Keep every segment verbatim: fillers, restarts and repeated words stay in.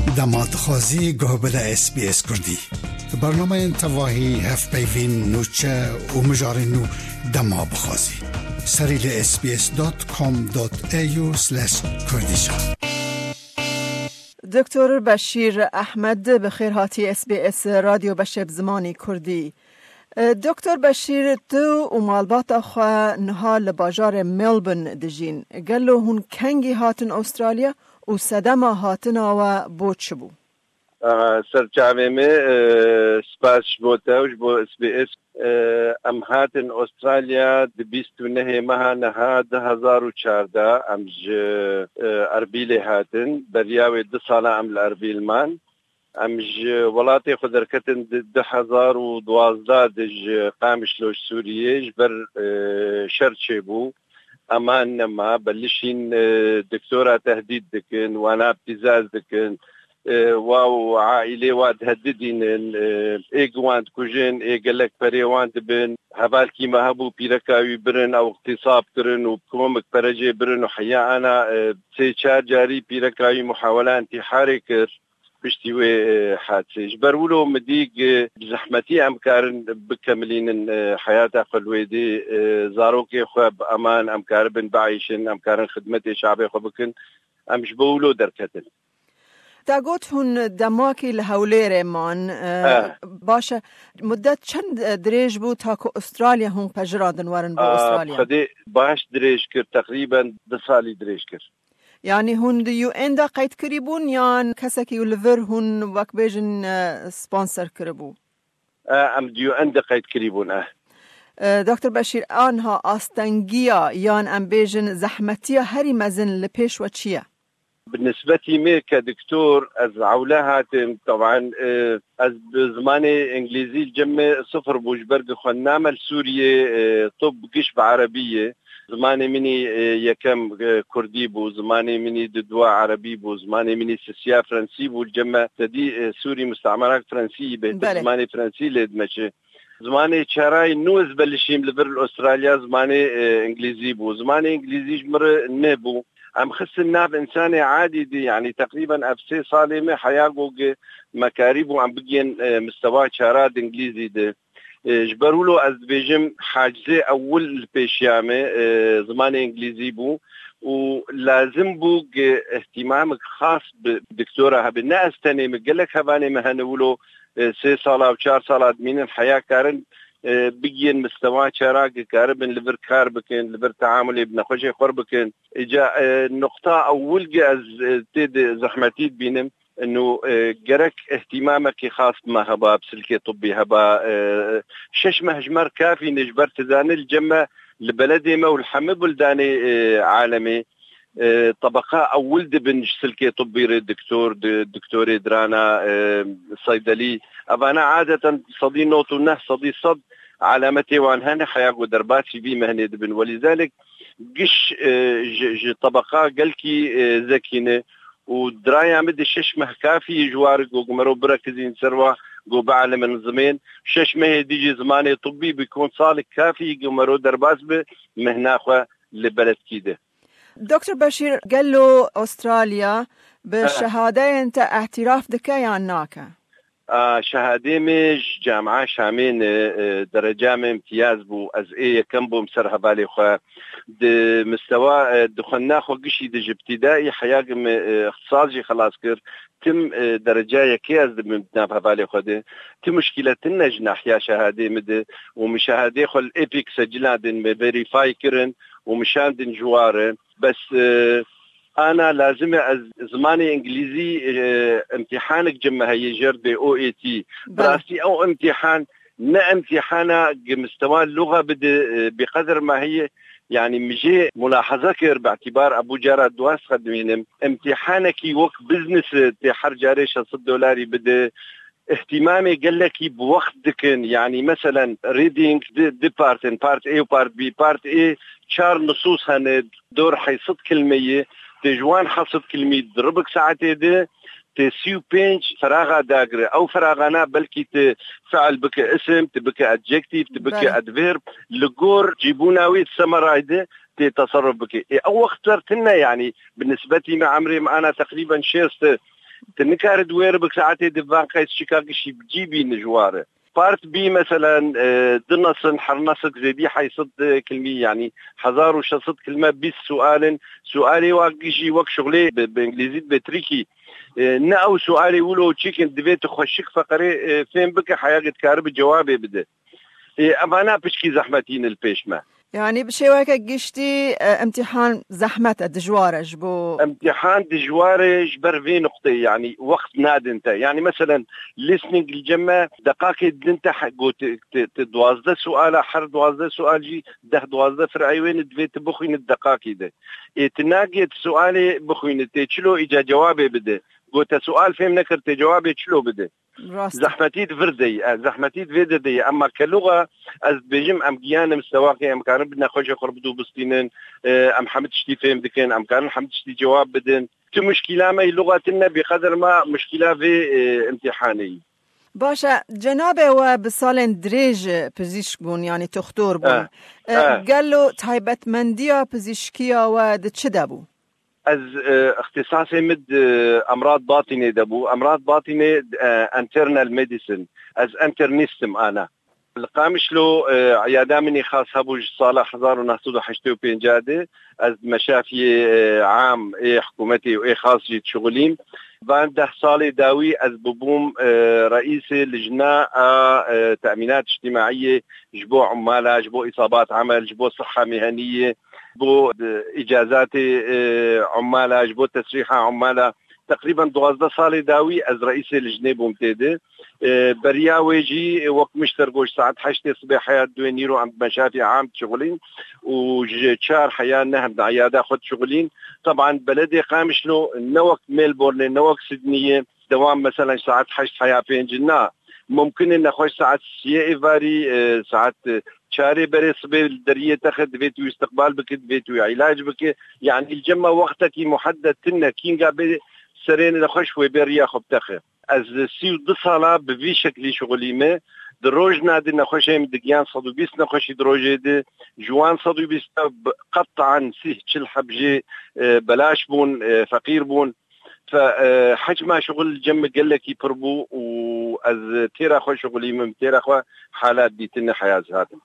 Dema dixwazî guh bide S B S Kurdî. Bernameyên tevahî, hevpeyvîn, nûçe û mijarên nû dema bixwazî. Serî li S B S dot com dot A U slash Kurdish. Doktor Beşîr Ehmed, bi xêr hatî S B S Radyo Beşê bi zimanî Kurdî. E, Doktor Beşîr, tu û malbata xwe niha li bajarê Melbourne dijîn. Gelo hûn kengî hatin Australya û sedema hatina we bo çi bû? Aha, ser çavê me, e, spas ji bo te û ji bo S B S. E, em hatin Australya di bîst û nehê meha niha du hezar û çardeh. Em ji, e, Erbîlê hatin. Beriya wê du sala em li Erbîl man. Em ji welatê xwe derketin di du hezar û duwazdeh de ji Qamişlo, ji Sûriyê, ji ber, e, şer çêbû. Eman nema, belişîn, e, doktora tehdît dikin, wana ptîzaz dikin, e, wa û aîlê wa dihedidînin, e, ê gi wan dikujin, ê gelek perê wan dibin. Hevalkî me hebû, pîreka wî birin, ew îxtîsab kirin û bi komik pere jê birin û heya ana, e, sê çar carî pîreka wî muhawela întîharê kir. Piştî wê, e, hadisê. Ji ber wilo min dî, e, bi zehmetî em karin bikemilînin, e, heyata xwe li wê dê, e, zarokê xwe bi eman em karibin bieyşin, em karin xidmetê şabê xwe bikin. Em ji bo wilo derketin. Te got hûn demakî li Hewlêrê man, e, Eh. Baş e. Mudet çend, e, dirêj bû ta ku Australya hûn pejirandin werin bo Ah, Australya? Xwedê baş dirêj kir, teqrîben du salî dirêj kir. Yanî hûn di U N de qeyd kirî bûn yan kesekî li vir hûn wek bêjin, e, sponsor kiribû? E, em di U N de qeyd kirî bûn, e. E, Doktor Beşîr, anha astengiya yan em bêjin zehmetiya herî mezin li pêş we çi ye? Bi nisbetî me ke doktor, ez ewle hatim, teban, e, ez bi zimanê îngilîzî li cem me sifir bû, ji ber ku xwendname li Sûriyê, e, tib giş bi erebî ye. Zimanê min î, e, yekem, e, kurdî bû, zimanê min î di dua erebî bû, zimanê min î sisiya frensî bû, li cem me tedî, e, Sûrî mustemerak frensî yî bêhtir Belê. Zimanê frensî lê dimeşe. Zimanê çarayî nû ez belişîm li vir li Australya zimanê, e, îngilîzî bû. Zimanê îngilîzî ji min re nebû. Em xistin nav însanê adî dî, yanî teqrîben ev sê salê me heya go ge me karîbû em bigên, e, mistewa çara di îngilîzî de. E, ji ber wilo ez dibêjim hacizê ewil li pêşiya me, e, zimanê îngilîzî bû û lazim bû ge îhtîmamik xas bi doktora hebe. Ne ez tenê me, gelek hevanê me hene wilo, e, sê sala û çar sala dimînin heya karin, e, bigiyên mistewa çara ge karibin li vir kar bikin, li vir teamulê bi nexweşê xwe bikin. Îca, e, nuqta ewil ge ez, e, tê de zehmetî dibînim. Ino, e, gerek îhtîmamekî xas bi me heba, bi silkê tibbî heba, e, şeş meh ji me re kafî ne, ji ber tu zanî li cem me, li beledê me û li hemî buldanê, e, alemê, e, tebeqa ewil dibin ji silkê tibbî re, doktor, di-, doktorê dirana, e, seydelî. Evana adeten sedî nod û neh, sedî sed alametê wan hene, heya ku derbasî vî mehnê dibin. Welîzalek giş, e, ji, ji tebeqa gelkî, e, zekî ne. Û diraya min di şeş meh kafî ji war go gumero birekizîn ser wa go bialimin zimên. Şeş mehê dî jî zimanê tibbî bi kon salek kafî gumero derbas bi mehna xwe li beledkî de. Doktor Beşîr, gelo Australya bi Ha. şehadeyên te îtiraf dike yan nake? A, şehadê me ji Camia Şamê ne, e, dereca me imtiyaz bû. Ez ê yekem bûm ser hevalê xwe. Di mistewa, e, di xwendina xwe gişî de ji ibtîdaî heya ge me, e, îxtisas jî xelas kir. Tim, e, dereca yekê ez dibim di nav hevalê xwe de. Tim muşkîle tune ji nahiya şehadê me de û min şehadê xwe li EPIC secila din me verîfay kirin û min şandin ji wa re. Bes, e, ana lazim e ez zimanê îngilîzî, e, imtîhanek cem me heye jer dê O E T. Bi Belê. rastî ew imtîhan ne imtîhana gi mistewa luxa bide, e, bi qedir me heye. Yanî min jê mulahaza kir, bi îtîbar ebu cara duwast xwe dimînim. Imtîhanekî wek business e, tê her carê şeş sed dolarî bide. Îhtîmamê gelekî bi wext dikin. Yanî meselen reading di, di part in, part A û part B. Part A çar nusûs hene, dor heyt sed kilmeyê, tê ji wan heyt sed kilmî di ribik saetê de, tê sî û pênc feraxa dagire. Ew feraxana belkî tu fiil bike isim, tu bike adjektif, tu bike Belê. adverb. Li gor cîbûna wî di semerayê de tê teserruf bike. Ê, ew wext ser tune, yanî bi nisbetî me emrê me ana teqrîben şêst e. Tu nikare di wê re bi saetê di van qeys çika gişî bi cî bî nijwar e. Part bî, meselen, e, du nesin, her nesik zêdî hey sed kilmî, yanî hezar û şeş sed kilme, bîst sual in. Sualê wa gişî wek şuxlê bi, bi îngilîzî dibe tricky. E, ne ew sualê wilo çikin, divê tu xweşik feqerê, e, fêm bike, heya dikare bi cewabê bide. E, evana piçkî zehmetî ne li pêş me. Yanî bi şêweke giştî, e, imtîhan zehmet e, dijwar e ji bo. Imtîhan dijwar e ji ber vê nuqteyê, yanî wext nadin te. Yanî meselen, listening li cem me deqakê din te he-, got, te, te duwazdeh suala, her duwazdeh sual jî deh duwazdeh fir'ey wê ne, divê tu bixwînî deqakî de. Ê, tu nagê tu sualê bixwînî, tê çilo îca cewabê bide. Got te sual fêm nekir, tê cewabê çilo bide. Rast. Zehmetî di vir de ye, e, zehmetî di vê de de ye. Emma ke luxa, ez dibêjim, em giyan in, sewaqê em karin bi nexweşê xwe re bidû bistînin, e, em hemî tiştî fêm dikin, em karin hemî tiştî cewab bidin. Tu muşkîla me yî luxa tune, bi qeder ma muşkîla vê, e, imtîhanê yî. Baş e, cenabê we bi salên dirêj pizîşk bûn, yanî toxtor bûn. E, E, e. Gelo taybetmendiya pizîşkiya we di çi de bû? Ez, e, ixtisasê min di emrad batînê de bû. Emrad batînê, e, internal medicine. Ez internist im ana. Li Qamişlo, e, îyada min î xas hebû ji sala hezar û neh sed û heştê û pênc de. Ez di meşafiyê, e, am ê hikûmetê û ê xas jî dişixulîm. Van deh salê dawî ez bibûm, e, reîsê lijna a, e, te'mînat îctîmaiyê ji bo ummala, ji bo îsabat emel, ji bo siha miheniyê, bo, e, îcazatê, e, ummala, ji bo tesrîha ummala. Teqrîben duwazdeh salê dawî ez reîsê lijnê bûm tê de. E, beriya wê jî wek min ji te re got, saet heştê sibê heya duê nîro em bi meşafê am dişixulîn û ji çar heya neh em di eyada xwe dişixulîn. Teban beledê Qamişlo ne wek Melbourne, ne wek Sydneyê, dewam, meselen, saet heşt heya pênc na. Mumkin e nexweş saet siyê êvarî, e, saet, e, çarê berê sibê li deriyê te xe, divê tu îstiqbal bike, divê tu îlac bike. Yanî li cem me wextekî muheddet tune, kînga bê serê nexweş wê bê riya xwe bi te xe. Ez sî û du sala bi vî şeklî şixulîme. Di rojna di nexweşê min digiyan sed û bîst nexweşî di rojê di. Ji wan sed û bîst de bi qetan sîh çil heb jê, e, belaş bûn, e, feqîr bûn. Fe, e, hecma şixul li cem min gelekî pir bû û ez têra xwe şixulîmim, têra xwe halat dîtine heya ez hatim.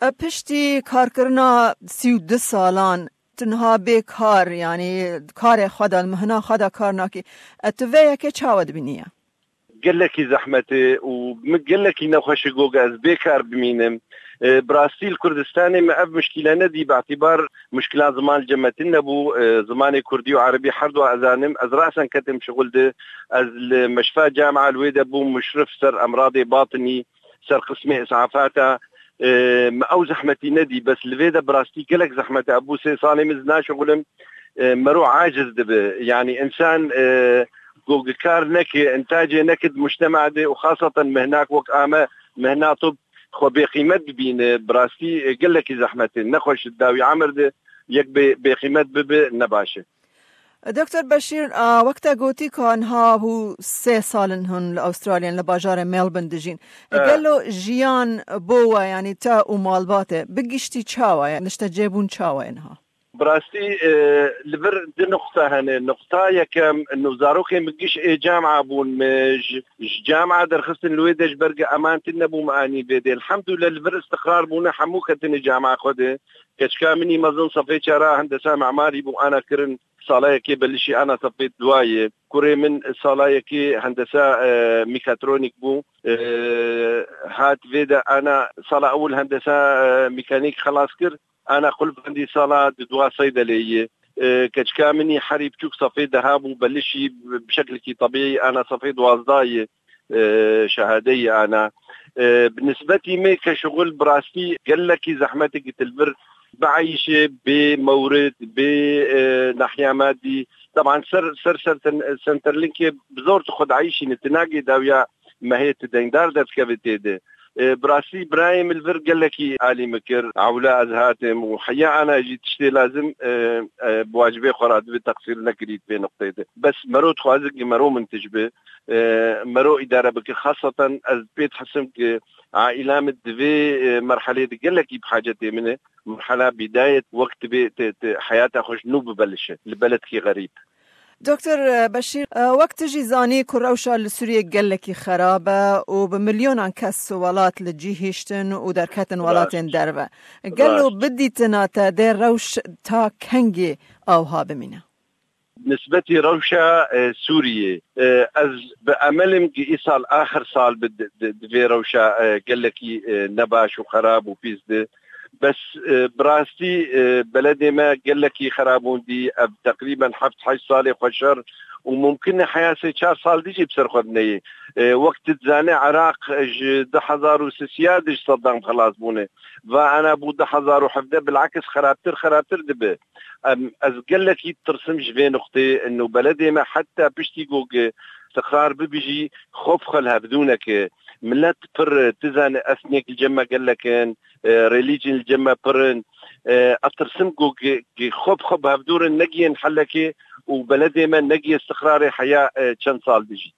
E, piştî karkirina sî û du salan, tu niha bê kar, yanî karê xwe de, mihna xwe de kar nakî. E, tu vê yekê çawa dibînî ye? Gelekî zehmet e û min gelekî nexweş e ku ez bê kar bimînim. E, bi rastî li Kurdistanê me ev muşkîle nedî, bi îtîbar muşkila ziman li cem me tune bû. E, zimanê kurdî û erebî herdu ez zanim. Ez rasen ketim şixul de. Ez li meşfa camia li wê de bûm muşrif ser emradê batinî, ser qismê îsafata. E, me ew zehmetî nedî, bes li vê de bi rastî gelek zehmet e. Ev bû sê salê min ez naşixulim. E, mero aciz dibe. Yanî însan, e, ku kar neke, intacê neke di mujtema de û xaseten mihnak wek a me, mihna tib, xwe bêqîmet bibîne, bi rastî, e, gelekî zehmet e. Nexweş di dawî emir de yek bê, bêqîmet bibe, ne baş e. Doktor Beşîr, a, wek te gotî ka niha bû sê sal in hûn li Astralya, li bajarê Melbourne dijîn. E, Evet. Gelo jiyan bo we, yanî te û malbatê, bi giştî çawa ye? Niştecêbûn çawa ye niha? Bi rastî, e, li vir du nuqta hene. Nuqta yekem, no zarokên min giş ê camia bûn, min ji, ji camia derxistin li wê de ji ber ku eman tune nebû, min anî vê de. Elhamdulillah, li vir îstiqrar bûne, hemû ketine camia xwe de. Keçika min î mezin sefê çara hendesa memarî bû, ana kirin sala yekê, belişî ana sefê duwayê. Kurê min sala yekê hendesa, e, mîkatronîk bû. E, hat vê de ana sala ewil hendesa, e, mîkanîk xelas kir. Ana qulfbendî sala di dua seydelê yê. E, keçika min î herî biçûk sefê deha bû, belişî bi şeklekî tebîî ana sefê duwazdeh yê, e, şehadeyê ana. E, bi nisbetî me ke şixul bi rastî gelekî zehmetê gitilbir bieyşê bê mewrid, bê, e, nahiya madî. Teban ser, ser, ser ten-, Centrelinkê bi zor tu xwe dieyşînî, tu nagê dawiya mehê tu deyndar derdikevî tê de. E, bi rastî birayê min li vir gelekî alî min kir. Ewla ez hatim û heya ana jî tiştê lazim, e, e, bi wacibê xwe re divê teqsîr nekirî di vê nuqteyê de. Bes mero dixwaze ki mero mintij bi, e, mero îdare bike. Xaseten ez pê dihisim ki aîla min di vê, e, merhelê de gelekî bi hacetê min e. Merhela bîdayet wek tu bê, tu, tu heyata xwe ji nû bibelişe li beledkî xerîb. Doktor Beşîr, e, wek tu jî zanî ku rewşa li Sûriyê gelekî xerab e û bi milyonan kes welat li cî hiştin û derketin welatên derve. Gelo bi dîtina te dê rewş ta kengî awha bimîne? Nisbetî rewşa, e, Sûriyê, e, ez bi emelim ki îsal axir sal bi di, di, di vê rewşa, e, gelekî, e, nebaş û xerab û pîs di. Bes, e, bi rastî, e, beledê me gelekî xerabûn dî. Ev teqrîben heft heşt salê xwe şer û mumkin e heya sê çar sal dî jî bi ser xwe bineyê. E, wek tu dizane Iraq ji du hezar û sisiya dij Saddam xelas bûne. Va ana bû du hezar û hevdeh bilakis xerabtir, xerabtir dibe. Em, ez gelekî tirsim ji vê nuqtê, ino beledê me heta piştî ku gi istiqrar bibijî, xwe bi xwe li hevdû neke. Millet pir, tu zanî, ethnic li cem me gelek in, e, religion li cem me pir in. E, ez tirsim ku gi, gi xwe bi xwe bi hevdû re negiyên helekê û beledê me negiye istiqrarê heya, e, çend sal dijî.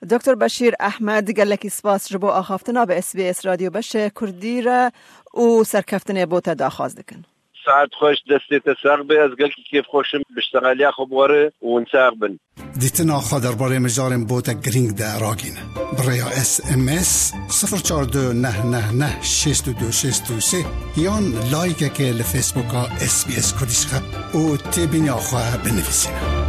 Doktor Beşîr Ehmed, gelekî spas ji bo axaftina bi S B S Radyo Beşê Kurdî re û serkeftinê bo te daxwaz dikin. Saet xweş, destê te sax be, ez gelkî kêfxweş im, bi ştexaliya xwe bi we re û hûn sax bin. Dîtina xwe derbarê mijarên bo te girîng de ragîne. Bi rêya S M S sifir çar du neh neh neh şêst û du şêst û sê yan layikekê li Facebooka S B S Kurdish xeb û têbîniya xwe binivîsîne.